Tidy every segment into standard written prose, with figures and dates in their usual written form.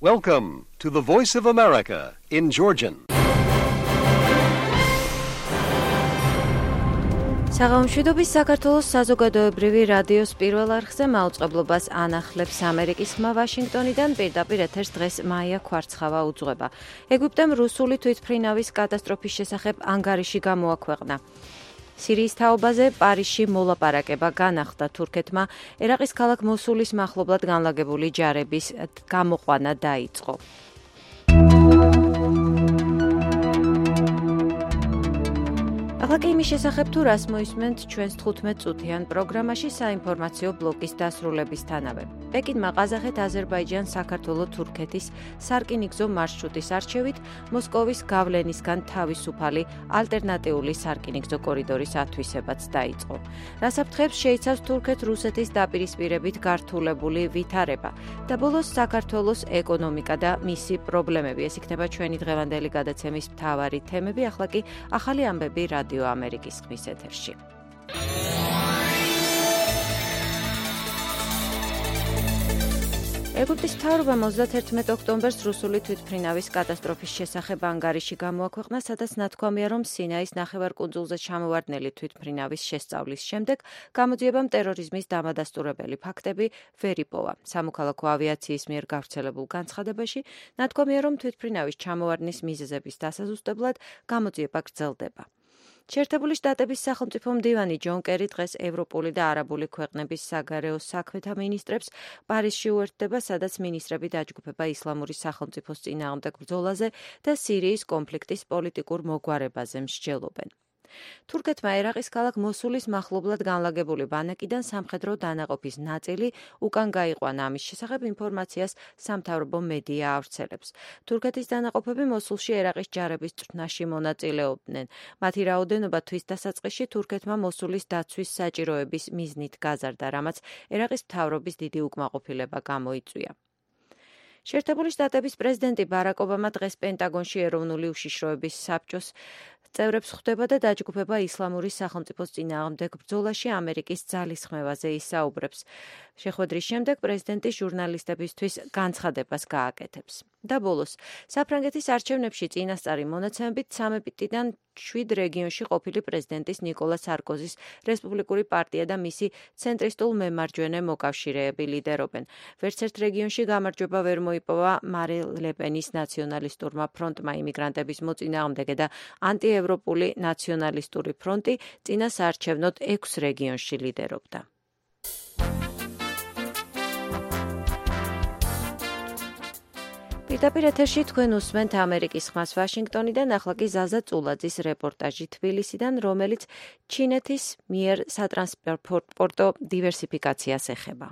Welcome to the Voice of America in Georgian. საღამოშვიდობის საქართველოს საზოგადოებრივი რადიოს პირველ არხზე მაუწყებლობას ანახლებს ამერიკის ხმა ვაშინგტონიდან პირდაპირ ეთერს დღეს მაია ქვარცხავა უძღვება. ეგვიპტემ რუსული თვითმფრინავის კატასტროფის შესახებ ანგარიში გამოაქვეყნა. სირიის თაობაზე პარიზში მოლაპარაკება განახლდა თურქეთმა, ერაყის ქალაქ მოსულის მახლობლად განლაგებული ჯარების გამოყვანა დაიწყო. ახლა კი იმის შესახებ თუ რას მოისმენთ ჩვენს 15 წუთიან პროგრამაში საინფორმაციო ბლოკის დასრულებისთანავე. პეკინმა ყაზახეთ, აზერბაიჯანს, საქართველოს, თურქეთის სარკინიგზო მარშრუტის არჩევით მოსკოვის გავლენისგან თავისუფალი ალტერნატიული სარკინიგზო კორიდორის ათვისებაც დაიწყო. რასაფრთხეებს შეიცავს თურქეთ-რუსეთის დაპირისპირებით გართულებული ვითარება და ბოლოს საქართველოს ეკონომიკა და მისი პრობლემები. ეს იქნება ჩვენი დღევანდელი გადაცემის მთავარი თემები. ახლა კი ახალი ამბები რადიო ამერიკის ხმის ეთერში. ეგვიპტის მთავრობამ 31 ოქტომბერს რუსული თვითმფრინავის კატასტროფის შესახებ ანგარიში გამოაქვეყნა, სადაც ნათქვამია, რომ სინაის ნახევარკუნძულზე ჩამოვარდნილი თვითმფრინავის შესწავლის შემდეგ გამოძიებამ ტერორიზმის დამადასტურებელი ფაქტები ვერ იპოვა. სამოქალაქო ავიაციის მიერ გავრცელებულ განცხადებაში ნათქვამია, რომ თვითმფრინავის ჩამოვარდნის მიზეზების დასაზუსტებლად გამოძიება გრძელდება. შეერთებული შტატების სახელმწიფო მდივანი ჯონ კერი დღეს ევროპული და არაბული ქვეყნების საგარეო საქმეთა მინისტრებს პარიზში უერთდება, სადაც მინისტრები დაჯგუფება ისლამური სახელმწიფოს წინააღმდეგ ბრძოლაზე და სირიის კონფლიქტის პოლიტიკურ მოგვარებაზე მსჯელობენ. თურქეთმა ერაყის ქალაქ მოსულის მახლობლად განლაგებული ბანაკიდან სამხედრო დანაყოფის ნაწილი უკან გაიყვანა. ამის შესახებ ინფორმაციას სამთავრობო მედია ავრცელებს. თურქეთის დანაყოფები მოსულში ერაყის ჯარების წვრთნაში მონაწილეობდნენ. მათი რაოდენობა თვის დასაწყისში თურქეთმა მოსულის დაცვის საჭიროების მიზნით გაზარდა, რამაც ერაყის მთავრობის დიდი უკმაყოფილება გამოიწვია. შეერთებული შტატების პრეზიდენტი ბარაკ ობამა დღეს პენტაგონში ეროვნული უშიშროების საბჭოს წევრებს ხვდება და დაჯგუფება ისლამური სახელმწიფოს წინააღმდეგ ბრძოლაში ამერიკის ძალისხმევაზე ისაუბრებს. შეხვედრის შემდეგ პრეზიდენტი ჟურნალისტებისთვის განცხადებას გააკეთებს. და ბოლოს, საფრანგეთის არჩევნებში წინასწარი მონაცემებით 13-დან 7 რეგიონში ყოფილი პრეზიდენტის ნიკოლა სარკოზის რესპუბლიკური პარტია და მისი ცენტრისტულ მემარჯვენე მოკავშირეები ლიდერობენ. ვერც ერთ რეგიონში გამარჯვება ვერ მოიპოვა მარინ ლეპენის ნაციონალისტურმა ფრონტმა. იმიგრანტების მოწინააღმდეგე და ანტიევროპული ნაციონალისტური ფრონტი წინა საარჩევნოდ 6 რეგიონში ლიდერობდა. პირდაპირ ეთერში თქვენ უსმენთ ამერიკის ხმას ვაშინგტონიდან, ახლა კი ზაზა წულაძის რეპორტაჟი თბილისიდან, რომელიც ჩინეთის მიერ სატრანსპორტო დივერსიფიკაციას ეხება.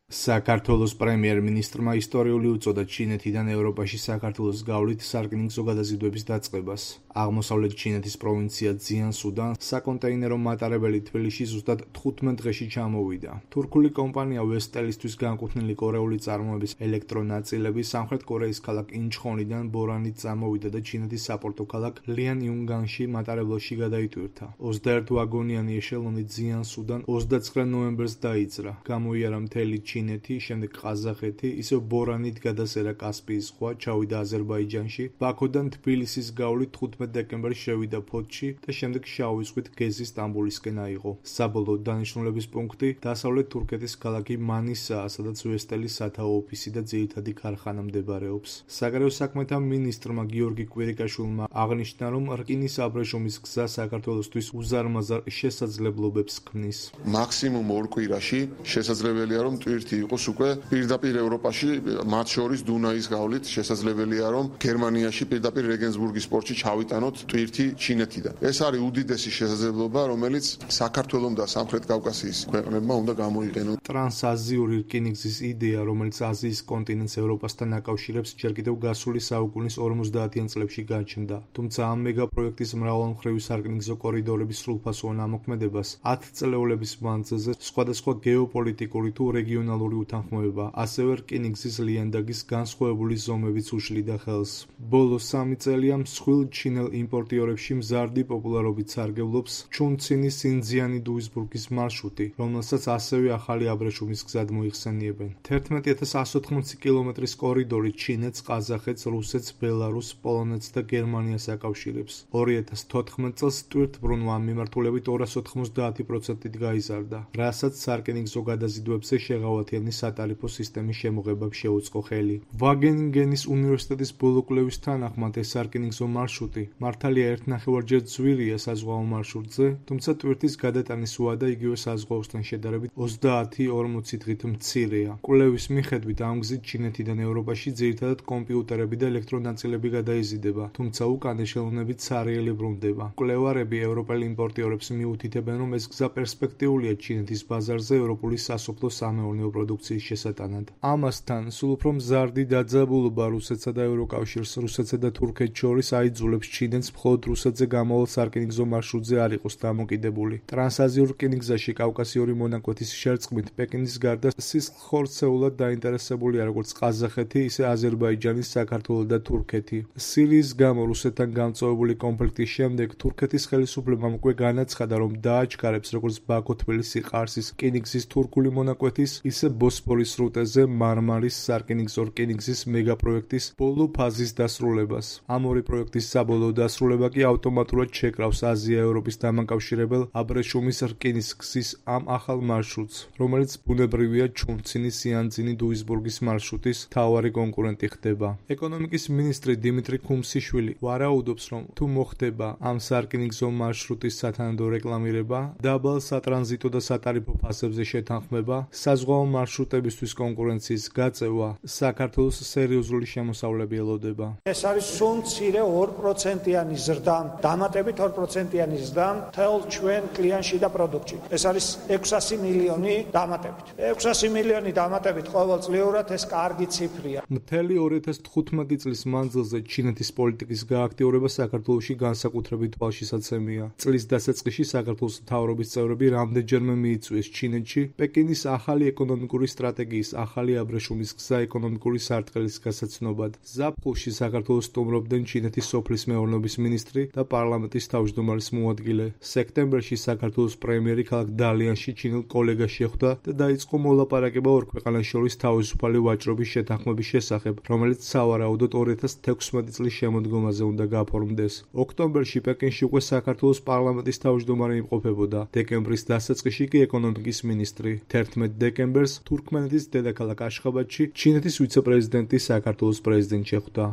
საქართველოს პრემიერ-მინისტრმა ისტორიული უწოდა ჩინეთიდან ევროპაში საქართველოს გავლით სარკინიგზო გადაზიდვების დაწყებას. აღმოსავლეთ ჩინეთის პროვინცია ძიანსუდან საკონტეინერო მატარებელი თბილისში ზუსტად 15 დღეში ჩამოვიდა. თურქული კომპანია ვესტელისთვის განკუთვნილი კორეული წარმოების ელექტრონაწილები სამხრეთ კორეის ქალაქ ინჩხონიდან ბორანით წამოვიდა და ჩინეთის საპორტო ქალაქ ლიანიუნგანში მატარებელში გადაიტვირთა. 21 ვაგონიანი ეშელონი ძიანსუდან 29 ნოემბერს დაიძრა. გამოიარა მთელი ჩინეთი, შემდეგ ყაზახეთი, ისევ ბორანით გადასერა კასპიის ზღვა, ჩავიდა აზერბაიჯანში, ბაქოდან თბილისის გავლით 15 დეკემბერს შევიდა ფოთში და შემდეგ შავი ზღვით გეზის სტამბოლისკენ აიღო. საბოლოო დანიშნულების პუნქტი დასავლეთ თურქეთის ქალაქი მანისაა, სადაც ვესტელის სათაო ოფისი და ძირითადი ქარხანა მდებარეობს. საგარეო საქმეთა მინისტრმა გიორგი კვირიკაშვილმა აღნიშნა, რომ რკინის აბრეშუმის გზა საქართველოსთვის უზარმაზარ შესაძლებლობებს ქმნის. მაქსიმუმ 2 კვირაში შესაძლებელია, რომ ტვირთი იყოს უკვე პირდაპირ ევროპაში, მათ შორის დუნაის გავლით შესაძლებელია, რომ გერმანიაში პირდაპირ რეგენსბურგის პორტში ჩავიტანოთ ტვირთი ჩინეთიდან. ეს არის უდიდესი შესაძლებლობა, რომელიც საქართველოს და სამხრეთ კავკასიის ქვეყნებმა უნდა გამოიყენონ. ტრანსაზიური რკინიგზის იდეა, რომელიც აზიის კონტინენტს ევროპასთან აკავშირებს, ჯერ კიდევ გასული საუკუნის 50-იან წლებში გაჩნდა. თუმცა ამ მეგაპროექტის მრავალმხრივი სარკინიგზო კორიდორების სრულფასოვან ამოქმედებას 10 წლეულების მანძილზე სხვადასხვა გეოპოლიტიკური თუ რეგიონალური რეგიონალური უთანხმოება, ასევე რკინიგზის ლიანდაგის განსხვავებული ზომებიც უშლიდა ხელს. ბოლო 3 წელია მსხვილ ჩინელ იმპორტიორებში მზარდი პოპულარობით სარგებლობს ჩუნცინის სინძიანი დუისბურგის მარშრუტი, რომელსაც ასევე ახალი აბრეშუმის გზად მოიხსენიებენ. 11180 კილომეტრის კორიდორი ჩინეთს, ყაზახეთს, რუსეთს, ბელარუსს, პოლონეთს და გერმანიას აკავშირებს. 2014 წელს ტვირთბრუნვა ამ მიმართულებით 290%-ით გაიზარდა, რასაც სარკინიგზო გადაზიდვებზე შეღავათიანი სატარიფო სისტემის შემოღებამ შეუწყო ხელი. ვაგენინგენის უნივერსიტეტის ბოლო კვლევის თანახმად ეს სარკინიგზო მარშრუტი მართალია 1,5-ჯერ ძვირია საზღვაო მარშრუტზე, თუმცა ტვირთის გადატანის უადა იგივე საზღვაოსთან შედარებით 30-40 დღით მცირეა. კვლევის მიხედვით ამ გზით ჩინეთიდან ევროპაში ძირითადად კომპიუტერები და ელექტრონაწილები გადაიზიდება, თუმცა უკანა ხელოვნებით სარიელი ბრუნდება. მკვლევარები ევროპელ იმპორტიორებს მიუთითებენ, რომ ეს გზა პერსპექტიულია ჩინეთის ბაზარზე ევროპული სასოფლო-სამეურნეო პროდუქციის შესატანად. ამასთან, სულ უფრო მზარდი დაძაბულობა რუსეთსა და ევროკავშირს, რუსეთსა და თურქეთს შორის აიძულებს ჩინეთს მხოლოდ რუსეთზე გამოვალ სარკინიგზო მარშრუტზე არ იყოს დამოკიდებული. ტრანსაზიურ რკინიგზაში კავკასიური მონაკვეთის შერწყმით პეკინის გარდა სისხლხორცეულად დაინტერესებულია როგორც ყაზახეთი, ისე აზერბაიჯანი, საქართველო და თურქეთი. სირიის გამო რუსეთთან გამწვავებული კონფლიქტის შემდეგ თურქეთის ხელისუფლებამ უკვე განაცხადა, რომ დააჩქარებს როგორც ბაქო-თბილისი-ყარსის რკინიგზის თურქული მონაკვეთის, ისე ბოსფორის სრუტეზე მარმარის სარკინიგზო რკინიგზის მეგაპროექტის ბოლო ფაზის დასრულებას. ამ ორი პროექტის საბოლოო დასრულება კი ავტომატურად შეკრავს აზია-ევროპის დამაკავშირებელ აბრეშუმის რკინიგზის ამ ახალ მარშრუტს, რომელიც ბუნებრივია ჩუნცინის სიანძინი დუისბურგის მარშრუტის მთავარი კონკურენტი ხდება. ეკონომიკის მინისტრი დიმიტრი ქუმსიშვილი ვარაუდობს, რომ თუ მოხდება ამ სარკინიგზო მარშრუტის სათანადო რეკლამირება, დაბალ სატრანზიტო და სატარიფო ფასებზე შეთანხმება, საზღვაო მარშრუტებისთვის კონკურენციის გაწევა, საქართველოს სერიოზული შემოსავლები ელოდება. ეს არის სულ მცირე 2%-იანი ზრდა, დამატებით 2%-იანი ზრდა მთელ ჩვენ კლიანში და პროდუქტში. ეს არის 600 მილიონი დამატებით. 600 მილიონი დამატებით ყოველწლიურად ეს კარგი ციფრია. მთელი 2015 წლის მანძილზე ჩინეთის პოლიტიკის გააქტიურება საქართველოში განსაკუთრებით თვალშისაცემია. წლის დასაწყისში საქართველოს მთავრობის წევრები რამდენჯერმე მიიწვიეს ჩინეთში პეკინის ახალი ეკონომიკური სტრატეგიის, ახალი აბრეშუმის გზა ეკონომიკური სარტყელის გასაცნობად. ზაფხულში საქართველოს სტუმრობდნენ ჩინეთის სოფლის მეურნეობის მინისტრი და პარლამენტის თავმჯდომარის მოადგილე. სექტემბერში საქართველოს პრემიერი ქალაქ დალიანში ჩინელ კოლეგას შეხვდა და დაიწყო მოლაპარაკება ორ ქვეყანას შორის თავისუფალი ვაჭრობის შეთანხმების შესახებ, რომელიც სავარაუდოდ 2016 წლის შემოდგომაზე უნდა გაფორმდეს. ოქტომბერში პეკინში უკვე საქართველოს პარლამენტის თავმჯდომარე იმყოფებოდა. დეკემბრის დასაწყისში კი ეკონომიკის მინისტრი. 11 დეკემბერს თურქმენეთის დედაქალაქ აშხაბადში ჩინეთის ვიცე-პრეზიდენტი საქართველოს პრეზიდენტს შეხვდა.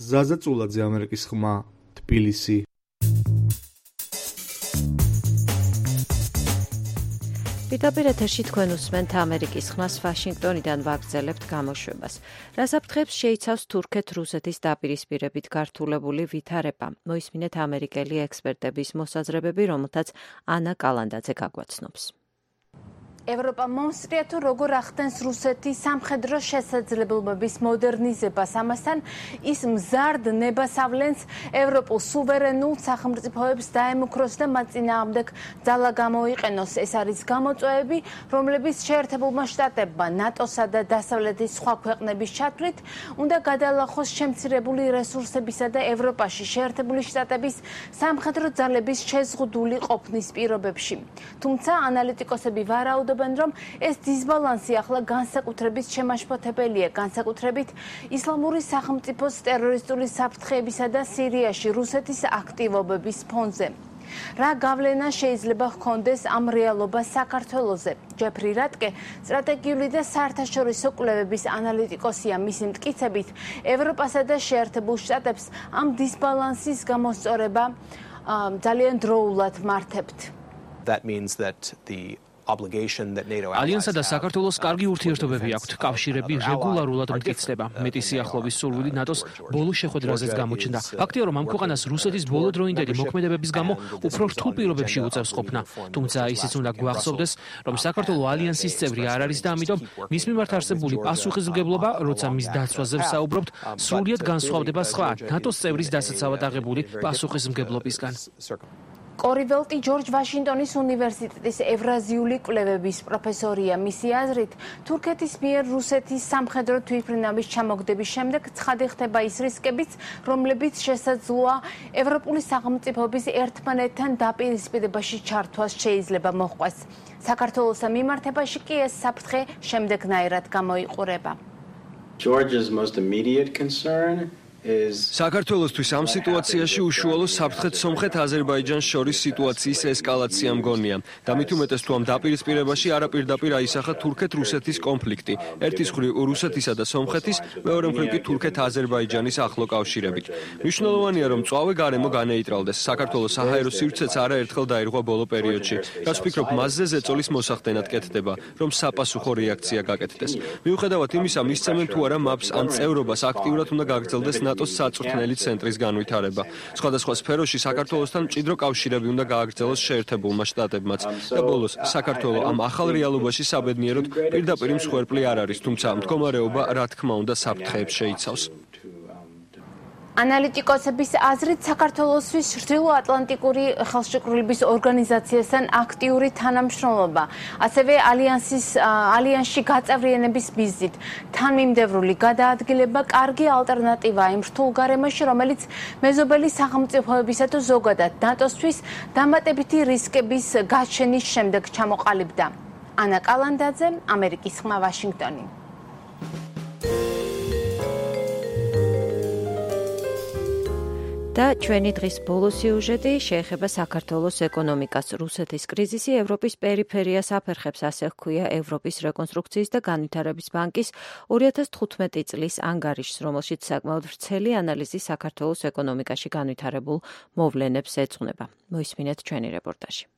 ზაზა წულაძე, ამერიკის ხმა, თბილისი. პირდაპირ ეთერში თქვენ უსმენთ ამერიკის ხმას ვაშინგტონიდან ვაგრძელებთ გამოშვებას. რას აფრთხებს შეიცავს თურქეთ-რუსეთის დაპირისპირებით გართულებული ვითარება? მოისმინეთ ამერიკელი ექსპერტების მოსაზრებები, რომელთაც ანა კალანდაძე გაგვაცნობს. ევროპა მომსწრია თუ როგორ ახდენს რუსეთის სამხედრო შესაძლებლობების მოდერნიზებას. ამასთან ის მზარდ ნებას ავლენს ევროპულ სუვერენულ სახელმწიფოებს დაემუქროს და მათ წინააღმდეგ ძალა გამოიყენოს. ეს არის გამოწვევები, რომლებიც შეერთებულმა შტატებმა, ნატოსა და დასავლეთის სხვა ქვეყნების ჩათვლით უნდა გადალახოს შემცირებული რესურსებისა და ევროპაში შეერთებული შტატების სამხედრო ძალების შეზღუდული ყოფნის პირობებში. თუმცა ანალიტიკოსები ვარაუდობენ, რომ ეს დისბალანსი ახლა განსაკუთრებით შემაშფოთებელია, განსაკუთრებით ისლამური სახელმწიფოს ტერორისტული საფრთხეებისა და სირიაში რუსეთის აქტივობების ფონზე. რა გავლენა შეიძლება ჰქონდეს ამ რეალობას საქართველოზე? ჯეფრი რატკე, სტრატეგიული და საერთაშორისო კვლევების ანალიტიკოსია. მისი მტკიცებით, ევროპასა და შეერთებულ შტატებს ამ დისბალანსის გამოსწორება ძალიან დროულად მართებთ. That means that the ალიანსა და საქართველოს კარგი ურთიერთობები აქვთ, კავშირები რეგულარულად მტკიცდება. მეტი სიახლოვის სურვილი ნატოს ბოლო შეხვედრაზეც გამოჩნდა. ფაქტია, რომ ამ ქვეყანას რუსეთის ბოლოდროინდელი მოქმედებების გამო უფრო რთულ პირობებში უწევს ყოფნა. თუმცა ისიც უნდა გვახსოვდეს, რომ საქართველო ალიანსის წევრი არ არის და ამიტომ მის მიმართ არსებული პასუხისმგებლობა, როცა მის დაცვაზე ვსაუბრობთ, სრულიად განსხვავდება სხვა ნატოს წევრის დასაცავად აღებული პასუხისმგებლობისგან. კორიველტი ჯორჯ ვაშინგტონის უნივერსიტეტის ევრაზიული კვლევების პროფესორია. მისი აზრით, თურქეთის მიერ რუსეთის სამხედრო თვითმფრინავის ჩამოგდების შემდეგ ცხადი ხდება ის რისკებიც, რომლებიც შესაძლოა ევროპული სახელმწიფოების ერთმანეთთან დაპირისპირებაში ჩართვას შეიძლება მოჰყვეს. საქართველოს მიმართებაში კი ეს საფრთხე შემდეგნაირად გამოიყურება. Georgia's most immediate concern საქართველოსთვის ამ სიტუაციაში უშუალო საფრთხე სომხეთ-აზერბაიჯანს შორის სიტუაციის ესკალაცია მგონია. და მით უმეტეს თუ ამ დაპირისპირებაში არაპირდაპირ აისახა თურქეთ-რუსეთის კონფლიქტი. ერთის მხრივ რუსეთისა და სომხეთის, მეორე მხრივ კი თურქეთ-აზერბაიჯანის ახლო კავშირებით. მნიშვნელოვანია, რომ მწვავე გარემო განეიტრალდეს. საქართველოს საჰაერო სივრცეც არაერთხელ დაირღვა ბოლო პერიოდში. რაც ვფიქრობ, მასზე ზეწოლის მოსახდენად კეთდება, რომ საპასუხო რეაქცია გაკეთდეს. მიუხედავად იმისა, მისცემენ თუ არა მაპს ან წევრობას აქტიურად უნდა გაგრძელდეს ნატოს საწვრთნელი ცენტრის განვითარება. სხვადასხვა სფეროში საქართველოსთან მჭიდრო კავშირები უნდა გააგრძელოს შეერთებულმა შტატებმაც. და ბოლოს, საქართველო ამ ახალ რეალობაში საბედნიეროდ პირდაპირ მსხვერპლი არ არის, თუმცა მდგომარეობა რა თქმა უნდა საფრთხეებს შეიცავს. ანალიტიკოსების აზრით, საქართველოსთვის ჩრდილო-ატლანტიკური ხელშეკრულების ორგანიზაციასთან აქტიური თანამშრომლობა, ასევე ალიანსში გაწევრიანების მიზნით თანმიმდევრული გადაადგილება კარგი ალტერნატივაა იმ რთულ გარემოში, რომელიც მეზობელი სახელმწიფოებისა თუ ზოგადად ნატოსთვის დამატებითი რისკების გაჩენის შემდეგ ჩამოყალიბდა. ანა კალანდაძე, ამერიკის ხმა, ვაშინგტონი. და ჩვენი დღის ბოლო სიუჟეტი შეეხება საქართველოს ეკონომიკას. რუსეთის კრიზისი ევროპის პერიფერიას აფერხებს, ასე ჰქვია ევროპის რეკონსტრუქციის და განვითარების ბანკის 2015 წლის ანგარიშს, რომელშიც საკმაოდ ვრცელი ანალიზი საქართველოს ეკონომიკაში განვითარებულ მოვლენებს ეძღვნება. მოისმინეთ ჩვენი რეპორტაჟი.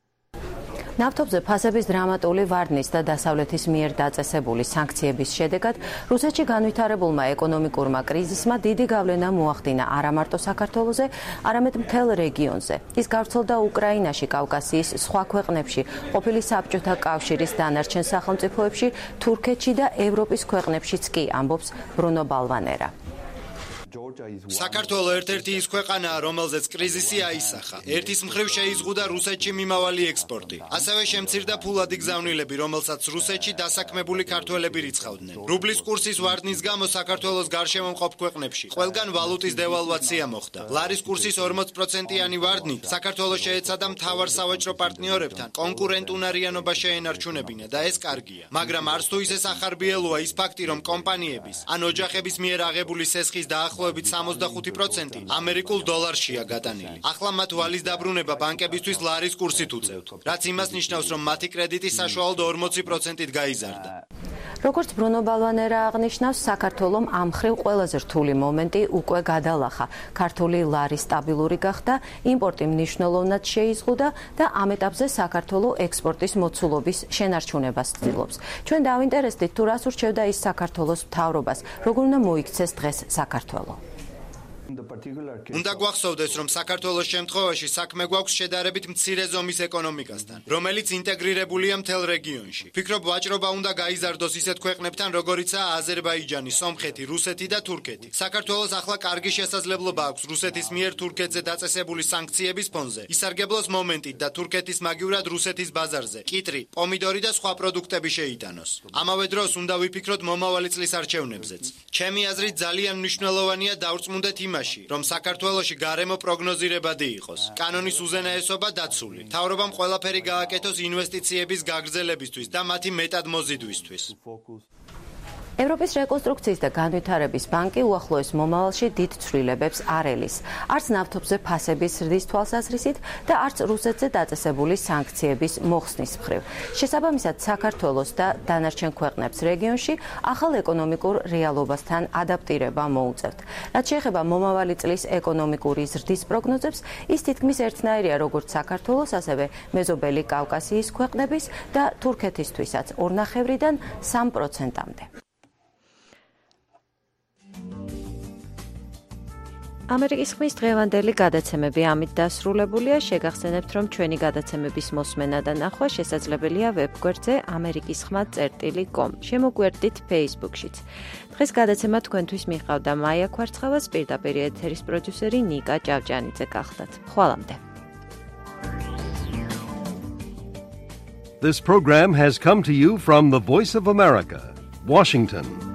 ნავთობზე ფასების დრამატული ვარდნის და დასავლეთის მიერ დაწესებული სანქციების შედეგად რუსეთში განვითარებულმა ეკონომიკურმა კრიზისმა დიდი გავლენა მოახდინა არა მარტო საქართველოზე, არამედ მთელ რეგიონზე. ის გავრცელდა უკრაინაში, კავკასიის სხვა ქვეყნებში, ყოფილი საბჭოთა კავშირის დანარჩენ სახელმწიფოებში, თურქეთში და ევროპის ქვეყნებშიც კი, ამბობს ბრუნო ბალვანერა. საქართველო ერთ-ერთი ის ქვეყანაა, რომელზეც კრიზისი აისახა. ერთის მხრივ შეიზღუდა რუსეთში მიმავალი ექსპორტი. ასევე შემცირდა ფულადი გზავნილები, რომელსაც რუსეთში დასაქმებული ქართველები რიცხავდნენ. რუბლის კურსის ვარდნის გამო საქართველოს გარშემო მყოფ ქვეყნებში ყველგან ვალუტის დევალვაცია მოხდა. ლარის კურსის 40%-იანი ვარდნით საქართველოს შეეცადა მთავარ სავაჭრო პარტნიორებთან კონკურენტუნარიანობა შეენარჩუნებინა და ეს კარგია. მაგრამ არც თუ ისე სახარბიელოა ის ფაქტი, რომ კომპანიების ან ოჯახების მიერ აღებული სესხის დაახლოებით 65% ამერიკულ დოლარშია გატანილი. ახლა მათ ვალის დაბრუნება ბანკებისთვის ლარის კურსით უწევთ, რაც იმას ნიშნავს, რომ მათი კრედიტი საშუალოდ 40%-ით გაიზარდა. როგორც ბრუნო ბალვანერა აღნიშნავს, საქართველომ ამ მხრივ ყველაზე რთული მომენტი უკვე გადალახა. ქართული ლარი სტაბილური გახდა, იმპორტი მნიშვნელოვნად შეიზღუდა და ამ ეტაპზე საქართველო ექსპორტის მოცულობის შენარჩუნებას ცდილობს. ჩვენ დავინტერესდით, თუ რას ურჩევდა ის საქართველოს მთავრობას, როგორ უნდა მოიქცეს დღეს საქართველო. უნდა გვახსოვდეს, რომ საქართველოს შემთხვევაში საქმე გვაქვს შედარებით მცირე ზომის ეკონომიკასთან, რომელიც ინტეგრირებულია მთელ რეგიონში. ფიქრობ, ვაჭრობა უნდა გაიზარდოს ისეთ ქვეყნებთან, როგორიცაა აზერბაიჯანი, სომხეთი, რუსეთი და თურქეთი. საქართველოს ახლა კარგი შესაძლებლობა აქვს რუსეთის მიერ თურქეთზე დაწესებული სანქციების ფონზე ისარგებლოს მომენტით და თურქეთის მაგივრად რუსეთის ბაზარზე კიტრი, პომიდორი და სხვა პროდუქტები შეიტანოს. ამავე დროს უნდა ვიფიქროთ მომავალი წლის არჩევნებზეც. ჩემი აზრით ძალიან მნიშვნელოვანია დავრწმუნდეთ იმაში, რომ საქართველოში გარემო პროგნოზირებადი იყოს. კანონის უზენაესობა დაცული. მთავრობამ ყველაფერი გააკეთოს ინვესტიციების გაგრძელებისთვის და მათი მეტად მოზიდვისთვის. ევროპის რეკონსტრუქციის და განვითარების ბანკი უახლოეს მომავალში დიდ ცვლილებებს არ ელის. არც ნავთობზე ფასების ზრდის თვალსაზრისით და არც რუსეთზე დაწესებული სანქციების მოხსნის მხრივ. შესაბამისად, საქართველოს და დანარჩენ ქვეყნებს რეგიონში ახალ ეკონომიკურ რეალობასთან ადაპტირება მოუწევთ. რაც შეეხება მომავალი წლის ეკონომიკური ზრდის პროგნოზებს, ის თითქმის ერთნაირია როგორც საქართველოს, ასევე მეზობელი კავკასიის ქვეყნების და თურქეთისთვისაც 2.5-დან 3%-მდე. ამერიკის ხმის დღევანდელი გადაცემები ამით დასრულებულია. შეგახსენებთ, რომ ჩვენი გადაცემების მოსმენა და ნახვა შესაძლებელია ვებგვერდზე amerikisxma.com. შემოგვერდით Facebook-შიც. დღეს გადაცემა თქვენთვის მიყავდა მაია ქვარცხავას, პირდაპირ ეთერის პროდიუსერი ნიკა ჭავჭანიძე გახლდათ. ხვალამდე. This program has come to you from the Voice of America, Washington.